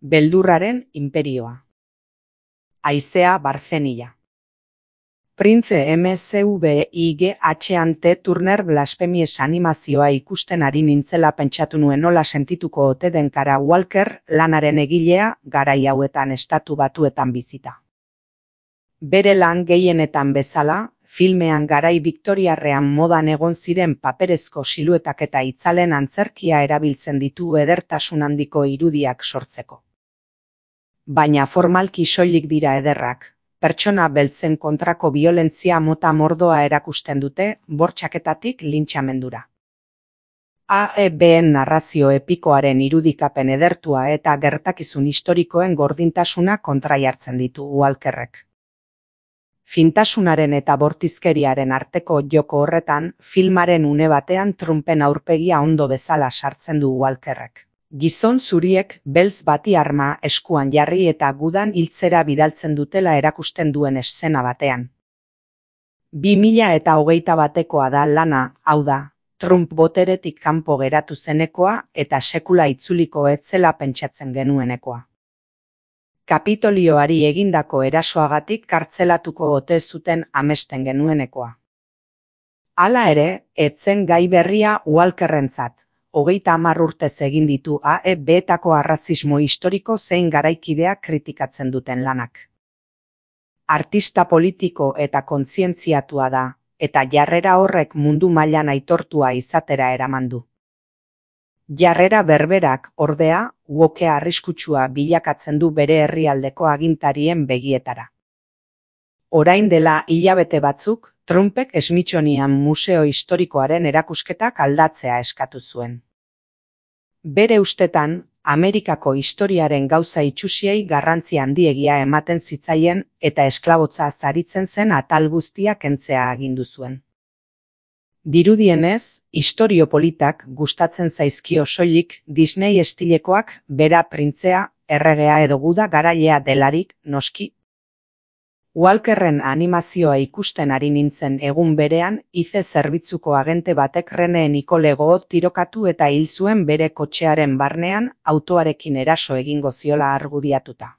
Beldurraren inperioa. Haizea Barzenia. Prince MCVIGH Turner Blasphemies animazioa ikusten ari nintzela pentsatu nuen nola sentituko ote den Kara Walker lanaren egilea garai hauetan Estatu Batuetan bizita. Bere lan gehienetan bezala, filmean garai viktoriarrean modan egon ziren paperezko siluetak eta itzalen antzerkia erabiltzen ditu edertasun handiko irudiak sortzeko. Baina formalki soilik dira ederrak, pertsona beltzen kontrako biolentzia mota mordoa erakusten dute, bortxaketatik lintxamendura. AEBen narrazio epikoaren irudikapen edertua eta gertakizun historikoen gordintasuna kontraiartzen ditu Walkerrek. Fintasunaren eta bortizkeriaren arteko joko horretan, filmaren une batean Trumpen aurpegia ondo bezala sartzen du Walkerrek. Gizon zuriek beltz bati arma eskuan jarri eta gudan hiltzera bidaltzen dutela erakusten duen eszena batean. 2021 da lana, hau da, Trump boteretik kanpo geratu zenekoa eta sekula itzuliko ez zela pentsatzen genuenekoa. Kapitolioari egindako erasoagatik kartzelatuko ote zuten amesten genuenekoa. Hala ere, ez zen gai berria Walkerrentzat. 30 urtez egin ditu AEBetako arrazismo historiko zein garaikidea kritikatzen duten lanak. Artista politiko eta kontzientziatua da, eta jarrera horrek mundu mailan aitortua izatera eraman du. Jarrera berberak, ordea, wokea arriskutsua bilakatzen du bere herrialdeko agintarien begietara. Orain dela hilabete batzuk, Trumpek Smithsonian Museo Historikoaren erakusketak aldatzea eskatu zuen. Bere ustetan, Amerikako historiaren gauza itsusiei garrantzi handiegia ematen zitzaien eta esklabotza zaritzen zen atal guztia kentzea agindu zuen. Dirudienez, istorio politak gustatzen zaizkio soilik Disney estilekoak bera printzea, erregea edo guda garailea delarik, noski. Walkerren animazioa ikusten ari nintzen egun berean, ize zerbitzuko agente batek Rene Nicole Goot tirokatu eta hil zuen bere kotxearen barnean autoarekin eraso egingo ziola argudiatuta.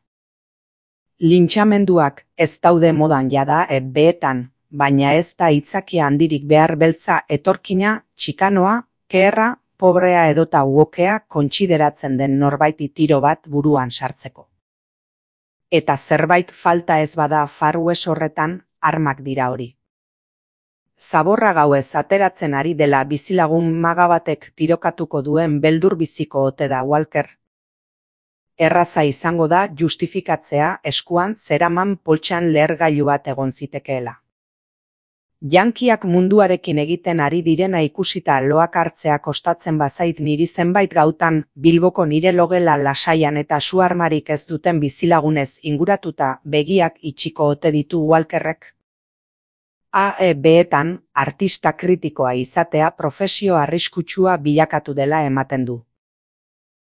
Lintxamenduak ez daude modan jada beetan, baina ez da hitzakia handirik behar beltza etorkina, txikanoa, keherra, pobrea edota wokea kontsideratzen den norbaiti tiro bat buruan sartzeko. Eta zerbait falta ez bada Far West horretan, armak dira hori. Zaborra gauez ateratzen ari dela bizilagun maga batek tirokatuko duen beldur biziko ote da Walker. Erraza izango da justifikatzea eskuan zeraman poltsan lehergailu bat egon zitekeela. Yankiak munduarekin egiten ari direna ikusita loak hartzea kostatzen bazait niri zenbait gautan Bilboko nire logela lasaian eta su-armarik ez duten bizilagunez inguratuta begiak itxiko ote ditu Walkerrek. AEBetan artista kritikoa izatea profesio arriskutsua bilakatu dela ematen du.